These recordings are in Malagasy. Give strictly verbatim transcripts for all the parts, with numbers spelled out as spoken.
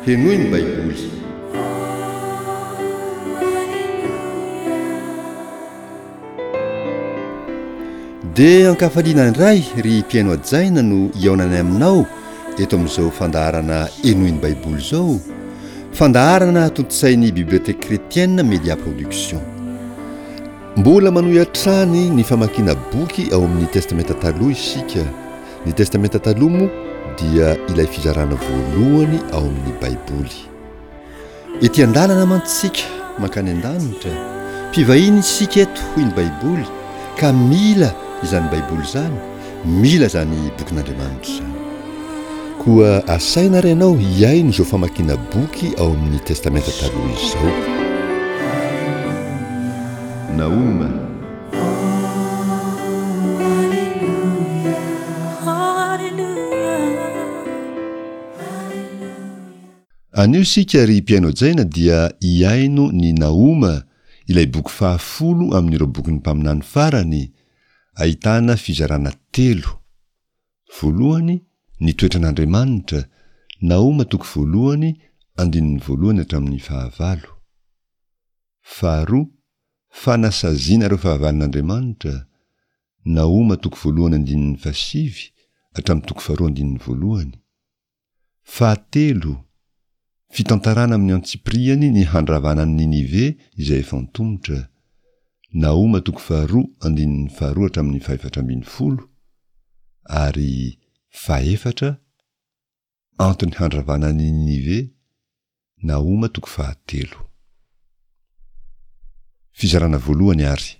Henoy ny Baiboly. Dia ankafaliana indray ry mpihaino hajaina no hihaonanay aminao eto amin'izao fandaharana Henoy ny Baiboly izao, fandaharana tontosain'ny Bibliothèque Chrétienne Media Production. Mbola manohy hatrany ny famakiana boky ao amin'ny Testamenta Taloha isika. Ny Testamenta Taloha moa dia ilay fizarana voalohany ao amin'ny Baiboly. Ety an-dalana mantsy isika mankany an-danitra. Mpivahiny isika eto hoy ny Baiboly ka mila izany Baiboly izany, mila izany bokin'Andriamanitra izany. Koa asaina ary ianao hihaino izao famakiana boky ao amin'ny Testamenta Taloha izao. Nahoma. Anio isika ry mpihaino hajaina dia hihaino ny Nahoma, ilay boky fahafolo amin'ireo bokin'ny mpaminany farany, ahitana fizarana telo. Voalohany, ny toetran'Andriamanitra, Nahoma toko voalohany, andininy voalohany hatramin'ny fahavalo. Faharoa, fanasaziana ireo fahavalon'Andriamanitra, Nahoma toko voalohany andininy fahasivy hatramin'ny toko faharoa andininy voalohany. Fahatelo, fitantarana amin'ny antsipiriany ny handravana an'i Ninive izay efa antomotra, Nahoma toko faharoa andininy faharoa hatramin'ny fahefatra ambin'ny folo, ary fahefatra, antony handravana an'i Ninive, Nahoma toko fahatelo. Fizarana voalohany ary,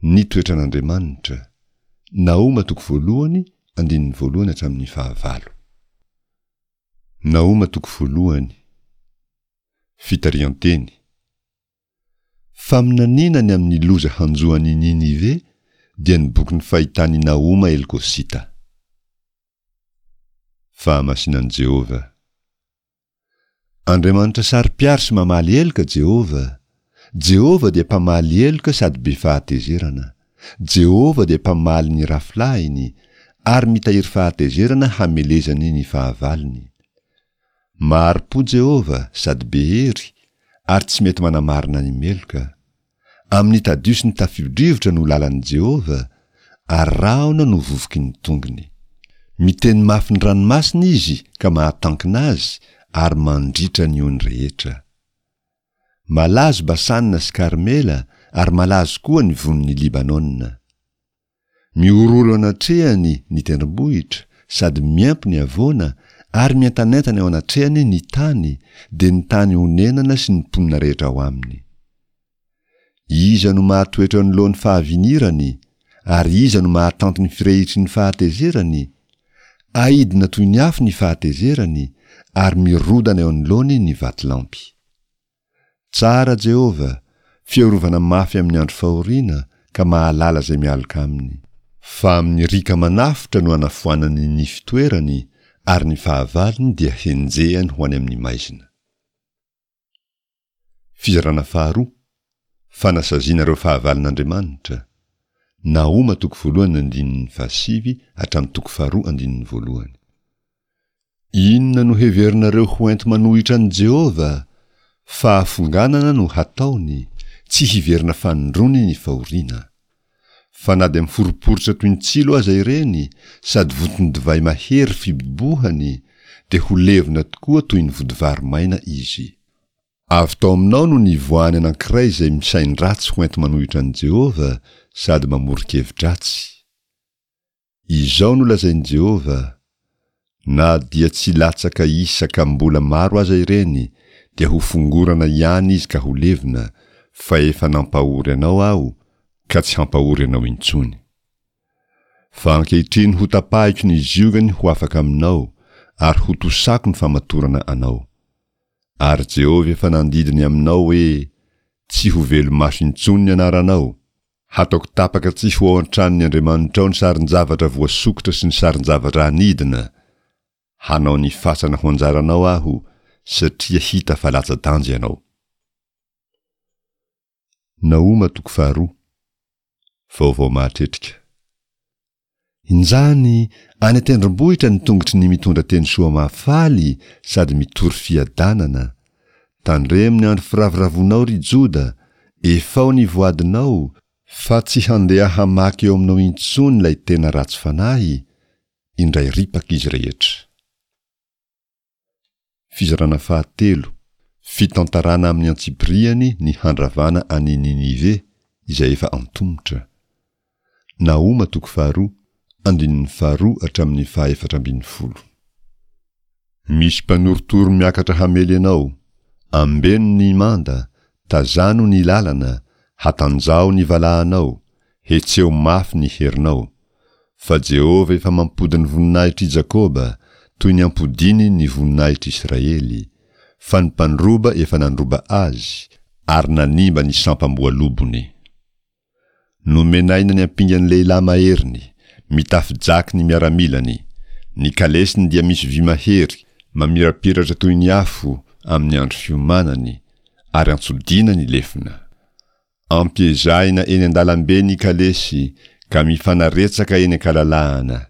ny toetran'Andriamanitra, Nahoma toko voalohany andininy voalohany hatramin'ny fahavalo. Nahoma toko voalohany. Fitarihan-teny. Faminaniana ny amin'ny loza hanjo an'i Ninive dia ny bokin'ny fahitan'i Nahoma Elkosita. Fahamasinan'i Jehovah. Andriamanitra saro-piaro sy mamaly heloka Jehovah. Jehovah dia mpamaly heloka sady be fahatezerana. Jehovah dia mpamaly ny rafilahiny, ary mitahiry fahatezerana hamelezany ny fahavalony. Mahari-po Jehovah sady be hery, ary tsy mety manamarina ny meloka. Amin'ny tadio sy ny tafio-drivotra no lalan'i Jehovah, ary rahona no vovoky ny tongony. Miteny mafy ny ranomasina izy ka mahatankina azy, ary mandritra ny ony rehetra. Malazo Basana sy Karmela, ary malazo koa ny vonin'i Libanona. Mihorohoro anatrehany ny tendrombohitra, sady miempo ny havoana, ary mientanentana eo anatrehany ny tany, dia ny tany onenana sy ny mponina rehetra ao aminy. Iza no mahatoetra eo anoloan'ny fahavinirany, ary iza no mahatanty ny firehitry ny fahatezerany? Aidina toy ny afo ny fahatezerany, ary mirodana eo anoloany ny vatolampy. Tsara Jehovah, fiarovana mafy amin'ny andro fahoriana, ka mahalala izay mialoka aminy. Fa amin'ny riaka manafotra no anafoanany ny fitoerany, ary ny fahavalony dia henjehany ho any amin'ny maizina. Fizarana faharoa, Fanasaziana ireo fahavalon'Andriamanitra, Nahoma toko voalohany andininy fahasivy hatramin'ny toko faharoa andininy voalohany. Inona no heverinareo ho enti-manohitra an'i Jehovah? Fahafonganana no hataony, tsy hiverina fanindroany ny fahoriana. Fa na dia miforiporitra toy ny tsilo aza ireny, sady vonton-divay mahery fibobohany, dia ho levona tokoa toy ny vodivary maina izy. Avy tao aminao no nivoahany anankiray izay misain-dratsy ho enti-manohitra an'i Jehovah sady mamoron-kevi-dratsy. Izao no lazain'i Jehovah, Na dia tsy latsaka isa ka mbola maro aza ireny, dia ho fongorana ihany izy ka ho levona, fa efa nampahory anao Aho, ka tsy hampahory anao intsony. Fa ankehitriny hotapahiko ny ziogany ho afaka aminao, ary hotosako ny famatorana anao. Ary Jehovah efa nandidy ny aminao hoe, Tsy ho velo-maso intsony ny anaranao, Hataoko tapaka tsy ho ao an-tranon'ny andriamanitrao ny sarin-javatra voasokitra sy ny sarin-javatra anidina. Hanao ny fasana ho anjaranao Aho, satria hita fa latsa-danja ianao. Nahoma toko faharoa. Vaovao mahatretrika. Injany, any an-tendrombohitra ny tongotry ny mitondra teny soa mahafaly sady mitory fiadanana. Tandremo ny andro firavoravoanao, ry Joda, efao ny voadinao, fa tsy handeha hamaky eo aminao intsony ilay tena ratsy fanahy, indray ripaka izy rehetra. Fizarana fahatelo, Fitantarana amin'ny antsipiriany ny handravana an'i Ninive, izay efa antomotra. Nahoma toko faharoa, andininy faharoa hatramin'ny fahaefatra ambin'ny folo. Misy mpanorotoro miakatra hamely anao, ambeno ny manda, tazano ny lalana, hatanjaho ny valahanao, hetseho mafy ny herinao. Fa Jehovah efa mampody ny voninahitr'i Jakoba, toy ny ampodiany ny voninahitr'Israely, fa ny mpandroba efa nandroba azy, ary nanimba ny sampam-boalobony. Nomenaina ny ampingan'ny lehilahy maheriny, mitafy jaky ny miaramilany, ny kalesiny dia misy vy mahery, mamirapiratra toy ny afo amin'ny andro fiomanany, ary antsodiana ny lefona. Ampiezahina eny an-dalambe ny kalesy ka mifanaretsaka eny an-kalalahana.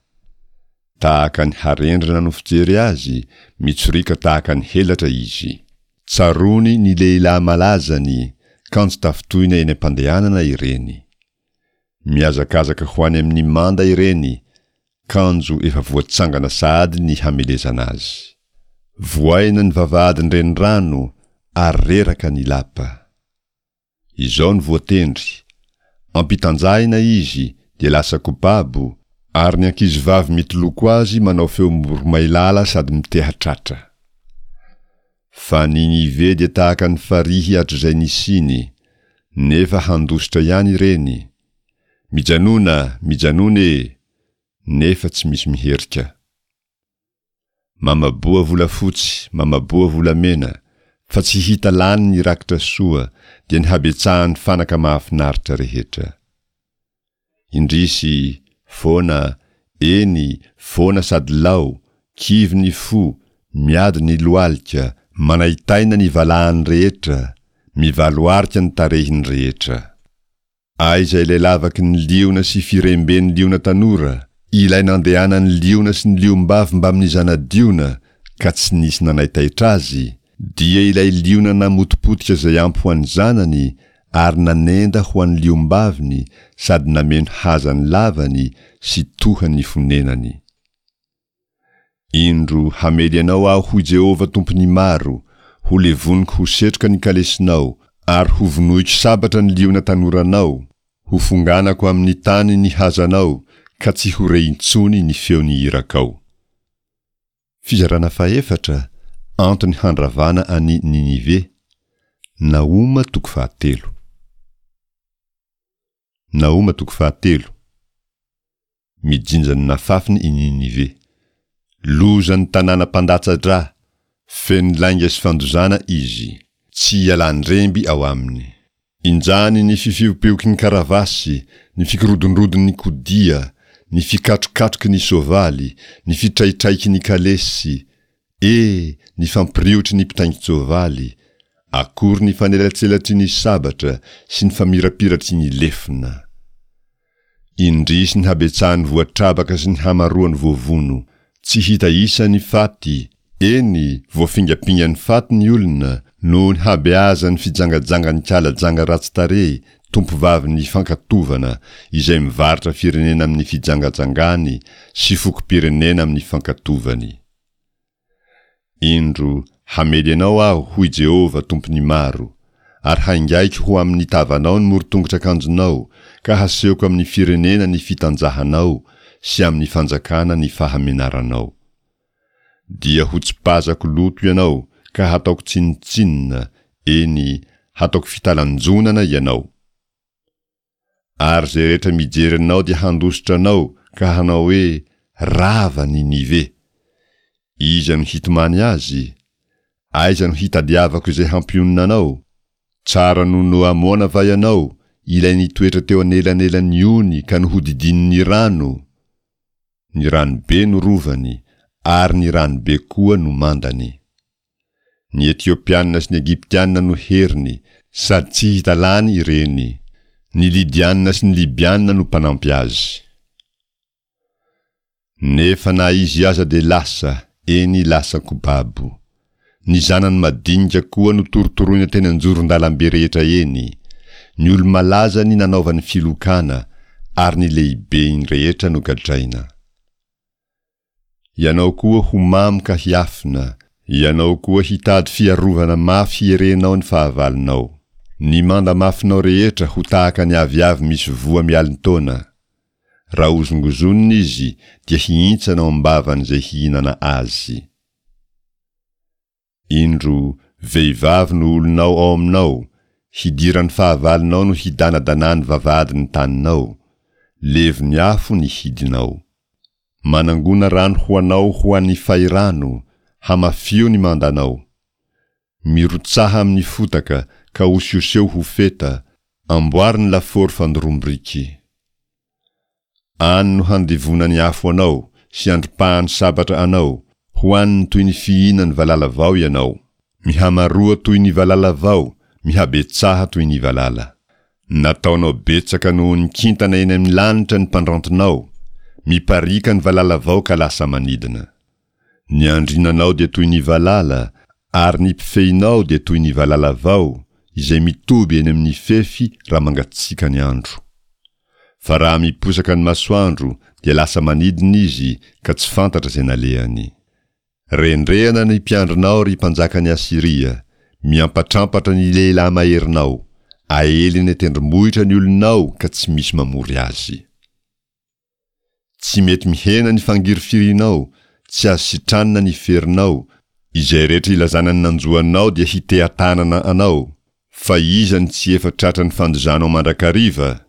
Tahaka ny harendrina no fijery azy, mitsoriaka tahaka ny helatra izy. Tsaroany ny lehilahy malazany, kanjo tafintohina eny am-pandehanana ireny. Mihazakazaka ho any amin'ny manda ireny, kanjo efa voatsangana sahady ny hamelezana azy. Vohaina ny vavahadin-drenirano ary reraka ny lapa. Izao no voatendry, Ampitanjahina izy dia lasa kobabo, ary ny ankizivavy mitoloko azy manao feo miboromailala sady miteha-tratra. Fa Ninive dia tahaka ny farihy hatrizay nisiany, nefa handositra ihany ireny. Mijanona, mijanona e! Nefa tsy misy miherika. Mamaboa volafotsy, mamaboa volamena, fa tsy hita lany ny rakitra soa, dia ny habetsahan'ny fanaka mahafinaritra rehetra. Indrisy, foana, eny, foana sady lao, kivy ny fo, miady ny lohalika, manaitaina ny valahany rehetra, mivaloarika ny tarehiny rehetra. Aiza ilay lavaky ny liona sy firemben'ny liona tanora, ilay nandehanan'ny liona sy ny liom-bavy mbamin'ny zana-diona, ka tsy nisy nanaitaitra azy? Dia ilay liona namotipotika izay ampy ho an'ny zanany ary nanenda ho an'ny liom-baviny sady nameno haza ny lavany sy toha ny fonenany. Indro, hamely anao Aho, hoy Jehovah Tompon'ny maro, ho levoniko ho setroka ny kalesinao, ary hovonoiko sabatra ny liona tanoranao, hofonganako amin'ny tany ny hazanao, ka tsy ho re intsony ny feon'ny irakao. Fizarana fahefatra, Antony handravana an'i Ninive. Nahoma toko fahatelo. Nahoma toko fahatelo. Mijinja ny nafafiny i Ninive. Lozan'ny tanàna mpandatsa-drà, feno lainga sy fandozana izy, tsy ialan-dremby ao aminy. Injany ny fifiopioky ny karavasy, ny fikorodondrodon'ny kodia, ny fikatrokatroky ny soavaly, ny fitraitraiky ny kalesy, e, ny fampiriotry ny mpitaingin-tsoavaly, akory ny fanelatselatry ny sabatra sy ny famirapiratry ny lefona. Indrisy ny habetsahan'ny voatrabaka sy ny hamaroan'ny voavono. Tsy hita isa ny faty, eny, voafingampingan'ny faty ny olona, noho ny habeazan'ny fijangajangan'ny kala janga ratsy tarehy, tompovavin'ny fankatovana, izay mivarotra firenena amin'ny fijangajangany sy fokom-pirenena amin'ny fankatovany. Indro, hamely anao Aho, hoy Jehovah, Tompon'ny maro, ary haingaiko ho amin'ny tavanao ny morotongotr'akanjonao, ka hasehoko amin'ny firenena ny fitanjahanao sy amin'ny fanjakana ny fahamenaranao. Dia hotsipazako loto ianao ka hataoko tsinontsinona, eny, hataoko fitalanjonana ianao. Ary izay rehetra mijery anao dia handositra anao ka hanao hoe, Rava Ninive! Iza no hitomany azy? Aiza no hitadiavako izay hampionona anao? Tsara noho Noamona va ianao, ilay nitoetra teo anelanelan'ny ony ka nohodidinin'ny rano? Ny rano be no rovany, ary ny rano be koa no mandany. Ny Etiopiana sy ny Egyptiana no heriny, sady tsy hita lany ireny. Ny Lydiana sy ny Libyana no mpanampy azy. Nefa na izy aza dia lasa, eny lasa-ko babo. Ny zanany madinika koa notorotoroina teny an-joron-dalambe rehetra eny, ny olo-malazany nanaovany filokana, ary ny lehibeny rehetra nogadraina. Ianao koa ho mamo ka hiafina, ianao koa hitady fiarovana mafy hierenao ny fahavalonao. Ny manda mafinao rehetra ho tahaka ny aviavy misy voa mialin-taona. Raha hozongozonina izy dia hihintsana ao am-bavan'izay hihinana azy. Indro, vehivavy no olonao ao aminao, hidiran'ny fahavalonao no hidanadanany vavahadin'ny taninao, levon'ny afo ny hidinao. Manangona rano ho anao ho an'ny fahirano, hamafio ny mandanao. Mirotsaha amin'ny fotaka ka osioseho ho feta, amboary ny lafaoro fandoroam-biriky. Any no handevonan'ny afo anao sy andripahan'ny sabatra anao, hohaniny toy ny fihinan'ny valala vao ianao. Mihamaroa toy ny valala vao, mihabetsaha toy ny valala. Nataonao betsaka noho ny kintana eny amin'ny lanitra ny mpandrantonao, mipariaka ny valala vao ka lasa manidina. Ny andrinanao dia toy ny valala, ary ny mpifehinao dia toy ny valala vao, izay mitoby eny amin'ny fefy raha mangatsiaka ny andro. Fa raha miposaka ny masoandro dia lasa manidina izy ka tsy fantatra izay nalehany. Rendrehana ny mpiandrinao ry mpanjakan'i Asyria, miampatrampatra ny lehilahy maherinao, aely eny an-tendrombohitra ny olonao ka tsy misy mamory azy. Tsy mety mihena ny fangirifirinao, tsy azo sitranina ny ferinao, izay rehetra ilazana ny nanjo anao dia hiteha-tanana anao, fa iza no tsy efa tratran'ny fandozanao mandrakariva?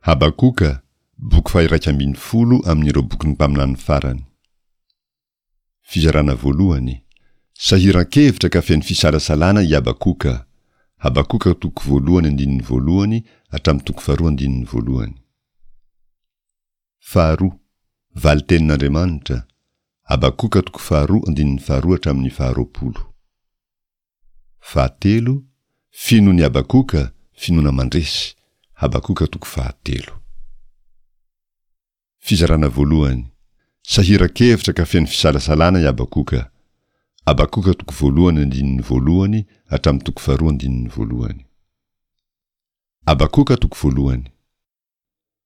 Habakoka, boky faha-iraika ambin'ny folo amin'ireo bokin'ny mpaminany farany. Fizarana voalohany. Sahiran-kevitra ka feno fisalasalana i Habakoka. Habakoka toko voalohany andininy voalohany hatramin'ny toko faharoa andininy voalohany. Faharoa, valin-tenin'Andriamanitra. Habakoka toko faharoa andininy faharoa hatramin'ny faharoapolo. Fahatelo, finoan'i Habakoka, finoana mandresy. Habakoka toko fahatelo. Fizarana voalohany. Sahiran-kevitra ka feno fisalasalana i Habakoka. Habakoka toko voalohany andininy voalohany hatramin'ny toko faharoa andininy voalohany. Habakoka toko voalohany.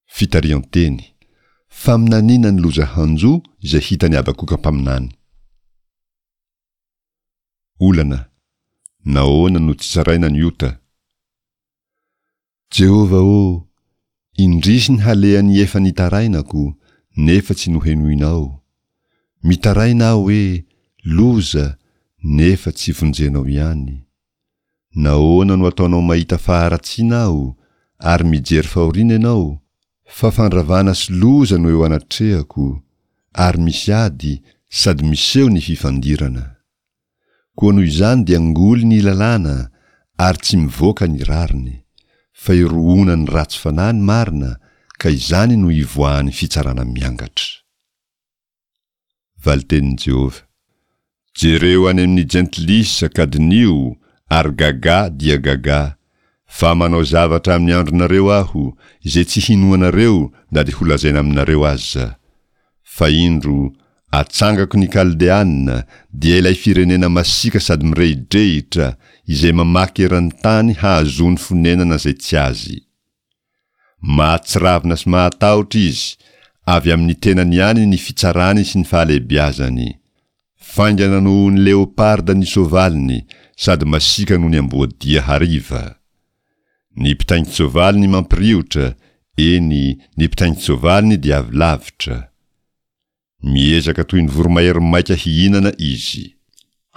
Fitarihan-teny. Faminaniana ny loza hanjo izay hitan'i Habakoka mpaminany. Olana. Nahoana no tsy tsaraina ny ota? Jehovah ô, indrisy ny halehan'ny efa nitarainako, nefa tsy nohenoinao. Mitaraina aho hoe, Loza, nefa tsy vonjenao ihany. Nahoana no ataonao mahita faharatsiana aho, ary mijery fahoriana ianao? Fa fandravana sy loza no eo anatrehako, ary misy ady, sady miseho ny fifandirana. Koa noho izany dia ngoly ny lalàna, ary tsy mivoaka ny rariny, fa irohonan'ny ratsy fanahy ny marina, ka izany no ivoahan'ny fitsarana miangatra. Valitenin'i Jehovah. Jereo any amin'ny jentilisa ka diniho, ary gagà dia gagà, fa manao zavatra amin'ny andronareo Aho, izay tsy hinoanareo na dia holazaina aminareo aza. Fa indro, atsangako ny Kaldeana, dia ilay firenena masiaka sady mirehidrehitra, izay mamaky eran'ny tany hahazoany fonenana izay tsy azy. Mahatsiravina sy mahatahotra izy, avy amin'ny tenany ihany ny fitsarany sy ny fahalehibiazany. Faingana noho ny leoparda ny soavaliny, sady masiaka noho ny amboadia hariva. Ny mpitaingin-tsoavaliny mampiriotra, eny, ny mpitaingin-tsoavaliny dia avy lavitra. Miezaka toy ny voromahery maika hihinana izy.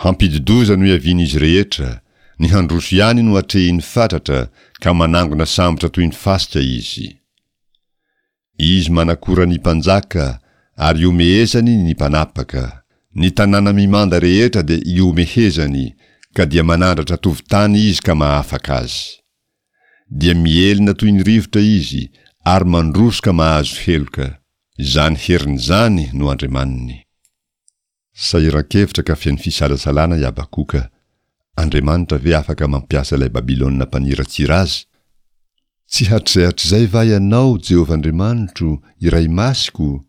Hampidi-doza no iavian'izy rehetra, ny handroso ihany no atrehiny fatratra, ka manangona sambotra toy ny fasika izy. Izy manakora ny mpanjaka, ary ihomehezany ny mpanapaka. Ny tanàna mimanda rehetra dia ihomehezany, ka dia manandratra tovon-tany izy ka mahafaka azy. Dia mihelina toy ny rivotra izy, ary mandroso ka mahazo heloka. Izany heriny izany no Andriamaniny. Sahiran-kevitra ka feno fisalasalana i Habakoka. Andriamanitra ve afaka mampiasa ilay Babylona mpaniratsira azy? Tsy hatrizay hatrizay va Ianao, Jehovah Andriamanitro, Iray Masiko?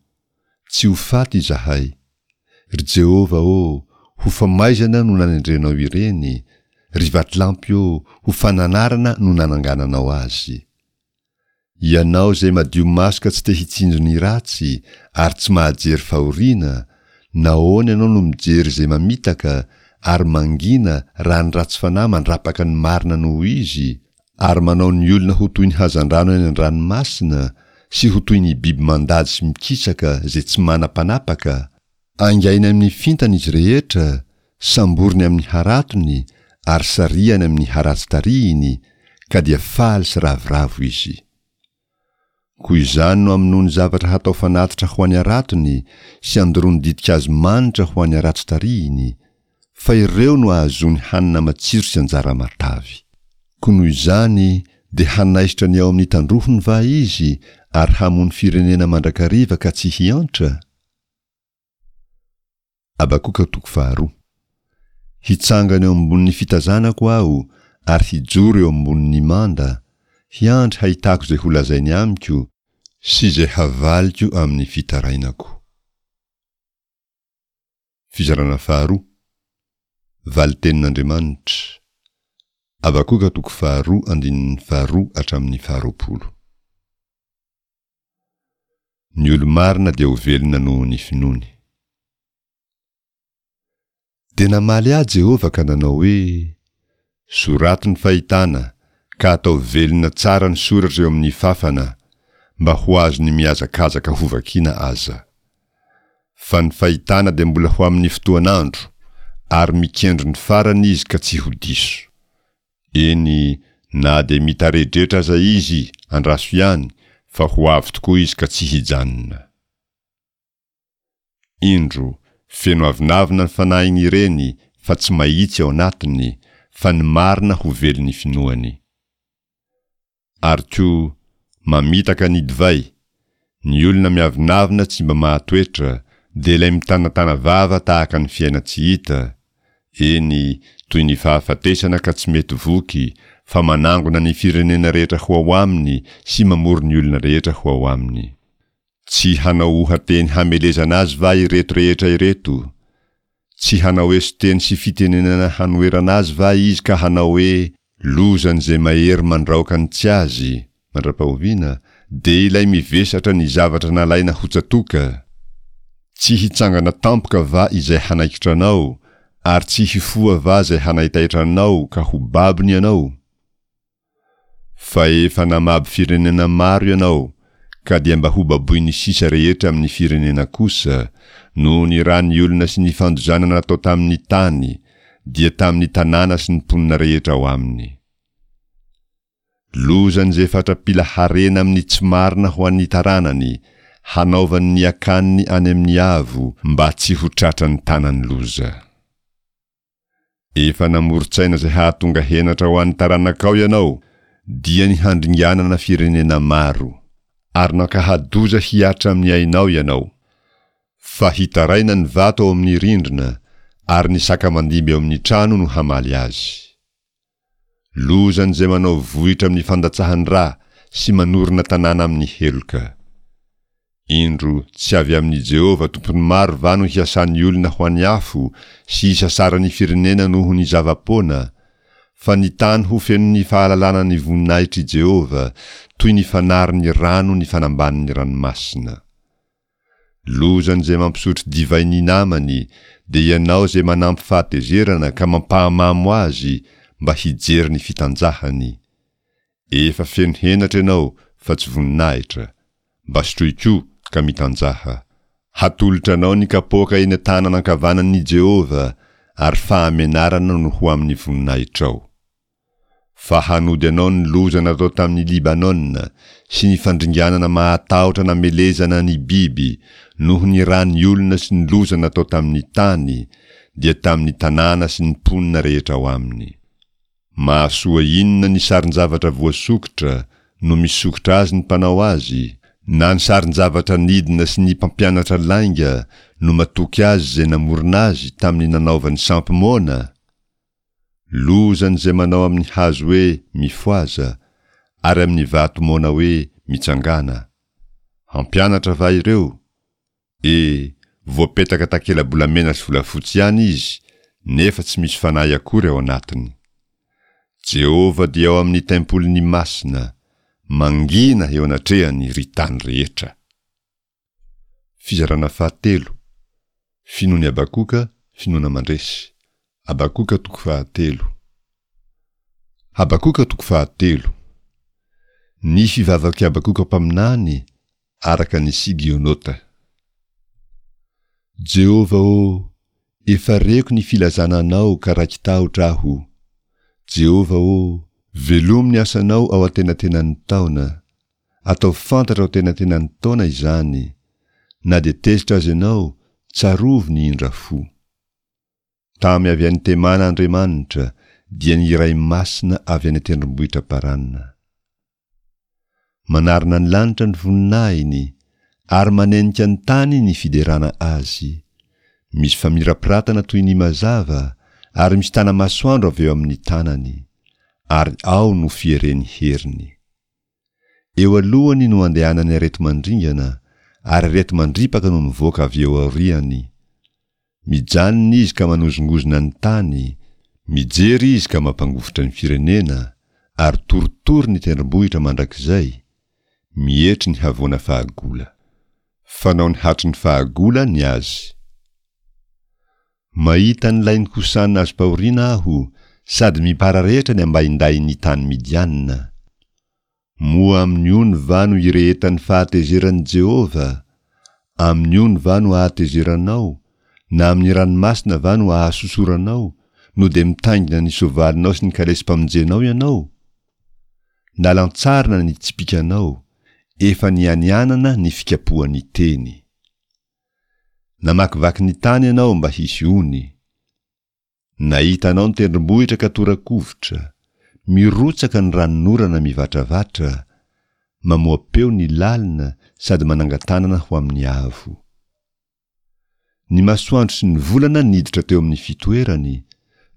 Tsy ho faty izahay. Ry Jehovah ô, ho famaizana no nanendrenao ireny, ry vatolampy ô, ho fananarana no nanangananao azy. Ianao izay madio maso ka tsy te hitsinjo ny ratsy ary tsy mahajery fahoriana, nahoana ianao no mijery izay mamitaka ary mangina raha ny ratsy fanahy mandrapaka ny marina noho izy, ary manao ny olona ho toy ny hazandrano any an-dranomasina sy ho toy ny biby mandady sy mikisaka izay tsy manam-panapaka? Aingainy amin'ny fintana izy rehetra, samboriny amin'ny haratony ary sarihany amin'ny haratsy tarihiny, ka dia faly sy ravoravo izy. Koa izany no amonoany zavatra hatao fanatitra ho an'ny haratony sy andoroany ditin-kazo manitra ho an'ny haratsy tarihiny, fa ireo no ahazoany hanina matsiro sy anjara matavy. Koa noho izany dia hanaisotra ny ao amin'ny tandrohony va izy ary hamono firenena mandrakariva ka tsy hiantra? Habakoka toko faharoa. Hitsangana eo ambonin'ny fitazanako aho ary hijoro eo ambonin'ny manda, hiandry hahitako izay holazainy amiko sy izay havaliko amin'ny fitarainako. Fizarana faharoa. Valin-tenin'Andriamanitra. Habakoka toko faharoa andininy faharoa hatramin'ny faharoapolo. Ny olo-marina dia ho velona noho ny finoany. Dia namaly ahy Jehovah ka nanao hoe, Soraty ny fahitana, ka ataovy velona tsara ny soratra eo amin'ny fafana, mba ho azon'ny mihazakazaka hovakina aza. Fa ny fahitana dia mbola ho amin'ny fotoan'andro, ary mikendry ny farany izy ka tsy ho diso. Eny, na dia mitaredretra aza izy, andraso ihany, fa ho avy tokoa izy ka tsy hijanona. Indro, feno avonavona ny fanahin'ireny, fa tsy mahitsy ao anatiny, fa ny marina ho velon'ny finoany. Ary koa, mamitaka ny divay, ny olona miavonavona tsy mba mahatoetra, dia ilay mitanatana vava tahaka ny fiainan-tsy hita, eny, toy ny fahafatesana ka tsy mety voky, fa manangona ny firenena rehetra ho ao aminy sy mamory ny olona rehetra ho ao aminy. Tsy hanao oha-teny hamelezana azy va ireto rehetra ireto? Tsy hanao eso-teny sy fitenenana hanoherana azy va izy ka hanao hoe, Lozan'izay mahery mandraoka ny tsy azy, mandra-pahoviana, dia ilay mivesatra ny zavatra nalaina ho tsatoka? Tsy hitsangana tampoka va izay hanaikitra anao, ary tsy hifoha va izay hanaitaitra anao ka ho babony ianao? Fa efa namabo firenena maro ianao, ka dia mba hobaboin'ny sisa rehetra amin'ny firenena kosa, noho ny ran'ny olona sy ny fandozana natao tamin'ny tany, dia tamin'ny tanàna sy ny mponina rehetra ao aminy. Lozan'izay fatra-pila harena amin'ny tsy marina ho an'ny taranany, hanaovany ny akaniny any amin'ny avo, mba tsy ho tratran'ny tanan'ny loza. Efa namoron-tsaina izay hahatonga henatra ho an'ny taranakao ianao, dia ny handringanana firenena maro. Ary nankahadoza hihatra amin'ny ainao ianao. Fa hitaraina ny vato ao amin'ny rindrina, ary ny saka mandimby ao amin'ny trano no hamaly azy. Lozan'izay manao vohitra amin'ny fandatsahan-dra sy manorina tanàna amin'ny heloka. Indro, tsy avy amin'i Jehovah Tompon'ny maro va no hiasan'ny olona ho an'ny afo sy hisasaran'ny firenena noho ny zava-poana? Fa ny tany ho fenon'ny fahalalana ny voninahitr'i Jehovah, toy ny fanarin'ny rano ny fanambanin'ny ranomasina. Lozan'izay mampisotro divay ny namany, dia ianao izay manampy fahatezerana ka mampahamamo azy mba hijery ny fitanjahany. Efa feno henatra ianao fa tsy voninahitra. Mba sotroy koa ka mitanjaha. Hatolotra anao ny kapoaka eny an-tanana ankavanan'i Jehovah, ary fahamenarana no ho amin'ny voninahitrao. Fa hanody anao ny loza natao tamin'i Libanona, sy ny fandringanana mahatahotra namelezana ny biby, noho ny ran'ny olona sy ny loza natao tamin'ny tany, dia tamin'ny tanàna sy ny mponina rehetra ao aminy. Mahasoa inona ny sarin-javatra voasokitra, no misokitra azy ny mpanao azy? Na ny sarin-javatra nidina sy ny mpampianatra lainga no matoky azy izay namorona azy tamin'ny nanaovany sampy moana? Lozan'izay manao amin'ny hazo hoe, Mifohaza, ary amin'ny vato moana hoe, Mitsangàna. Hampianatra va ireo? E, voapetaka takela-bolamena sy volafotsy ihany izy, nefa tsy misy fanahy akory ao anatiny. Jehovah dia ao amin'ny tempoliny masina, mangina eo anatrehany ry tany rehetra. Fizarana fahatelo, Finoan'i Habakoka, finoana mandresy. Habakoka toko fahatelo. Habakoka toko fahatelo. Ny fivavak'i Habakoka mpaminany araka ny Sigionota. Jehovah ô, efa reko ny filazana Anao ka raiki-tahotra aho. Jehovah ô, velomy ny asanao ao antenatenan'ny taona. Ataovy fantatra ao antenatenan'ny taona izany. Na dia tezitra aza ianao, tsarovy ny indra fo. Tamy avy any Temana Andriamanitra, dia ny Iray Masina avy any an-tendrombohitra Parana. Manarona ny lanitra ny voninahiny, ary manenika ny tany ny fiderana azy. Misy famirapiratana toy ny mazava, ary misy tana-masoandro avy eo amin'ny tanany, ary ao no fieren'ny heriny. Eo alohany no andehanan'ny areti-mandringana, ary areti-mandripaka no mivoaka avy eo aoriany. Mijanona izy ka manozongozona ny tany, mijery izy ka mampangovitra ny firenena, ary torotoro ny tendrombohitra mandrakizay, mietry ny havoana fahagola. Fanaony hatry ny fahagola ny azy. Mahita ny lain'i Kosana azom-pahoriana aho, sady mipararetra ny ambaindahin'ny tany Midiana. Moa amin'ny ony va no irehetan'ny fahatezeran'i Jehovah? Amin'ny ony va no ahatezeranao, na amin'ny ranomasina va no ahasosoranao, no dia mitaingina ny soavalinao sy ny kalesim-pamonjenao ianao? Nalantsarina ny tsipìkanao, efa nianianana ny fikapohan'ny teny. Namakivaky ny tany ianao mba hisy ony. Nahita anao ny tendrombohitra ka tora-kovitra, mirotsaka ny ranonorana mivatravatra, mamoa-peo ny lalina sady manangan-tanana ho amin'ny avo. Ny masoandro sy ny volana niditra teo amin'ny fitoerany,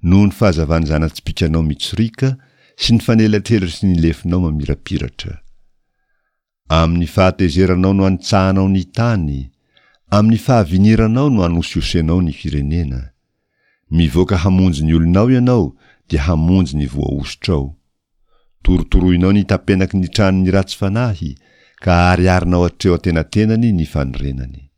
noho ny fahazavan'ny zana-tsipìkanao mitsoriaka sy ny fanelatrelatr'ny lefonao mamirapiratra. Amin'ny fahatezeranao no anitsahanao ny tany, amin'ny fahaviniranao no anosihosenao ny firenena. Mivoaka hamonjy ny olonao ianao dia hamonjy ny voahosotrao. Torotoroinao ny tapenaky ny tranon'ny ratsy fanahy ka ahariharinao hatreo antenatenany ny fanorenany.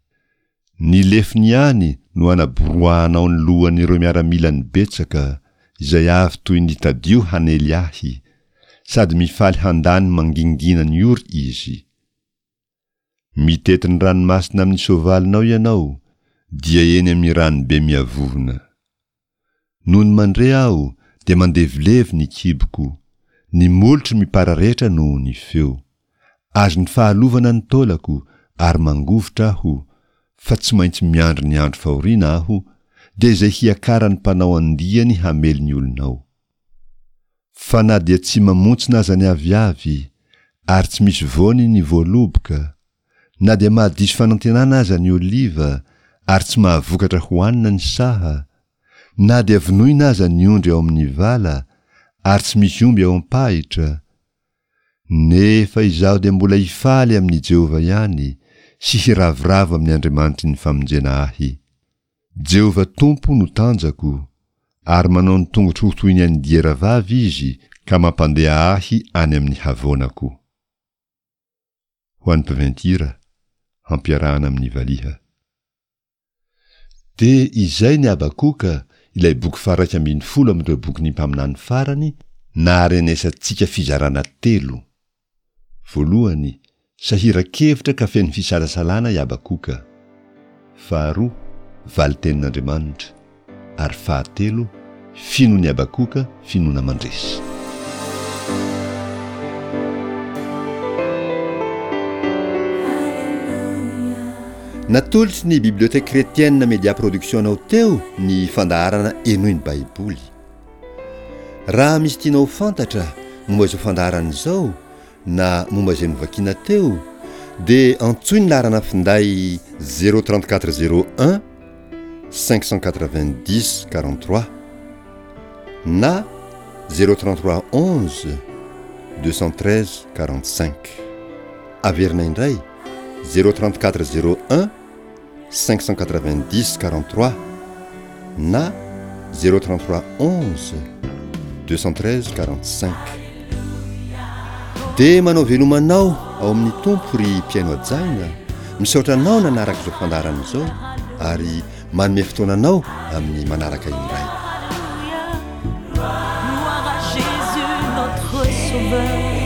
Ny lefony ihany no anaboroahanao ny lohan'ireo miaramilany betsaka, izay avy toy ny tadio hanely ahy, sady mifaly handany mangingina ny ory izy. Mitety ny ranomasina amin'ny soavalinao ianao, dia eny amin'ny ranobe miavovona. Nony mandre aho dia mandevilevy ny kiboko, ny molotro mipararetra noho ny feo. Azon'ny fahalovana ny taolako ary mangovitra aho, fa tsy maintsy miandry ny andro fahoriana aho, dia izay hiakaran'ny mpanao andiany hamely ny olonao. Fa na dia tsy mamontsina aza ny aviavy, ary tsy misy voany ny voaloboka, na dia mahadiso fanantenana aza ny oliva, ary tsy mahavokatra hohanina ny saha, na dia vonoina aza ny ondry ao amin'ny vala, ary tsy misy omby ao am-pahitra, nefa izaho dia mbola hifaly amin'i Jehovah ihany sy hiravoravo amin'ny Andriamanitry ny famonjena ahy. Jehovah Tompo no tanjako, ary manao ny tongotro ho toy ny an'ny diera vavy Izy ka mampandeha ahy any amin'ny havoanako. Ho an'ny mpiventira, hampiarahana amin'ny valiha. Dia izay ny Habakoka, ilay boky faharaika ambin'ny folo amin'ireo bokin'ny mpaminany farany, naharenesantsika fizarana telo. Voalohany, sahiran-kevitra ka feno fisalasalana i Habakoka. Faharoa, valin-tenin'Andriamanitra. Ary fahatelo, finoan'i Habakoka, finoana mandresy. Natolotry ny Bibliothèque Chrétienne Media Production anao teo ny fandaharana Henoy ny Baiboly. Raha misy tianao ho fantatra momba izao fandaharana izao na momba izay novakiana teo dia antsoy ny laharana finday zéro trente quatre zéro un cinq cent quatre-vingt-dix quarante-trois na zéro trente-trois onze deux cent treize quarante-cinq. Averina indray zéro trente-quatre zéro un cinq cent quatre-vingt-dix quarante-trois na zéro trente-trois onze deux cent treize quarante-cinq. Dia manao veloma anao ao amin'ny Tompo ry mpihaino hajaina, misaotra anao nanaraka izao fandaharana izao ary manome fotoana anao amin'ny manaraka indray. Gloire à Jésus notre sauveur.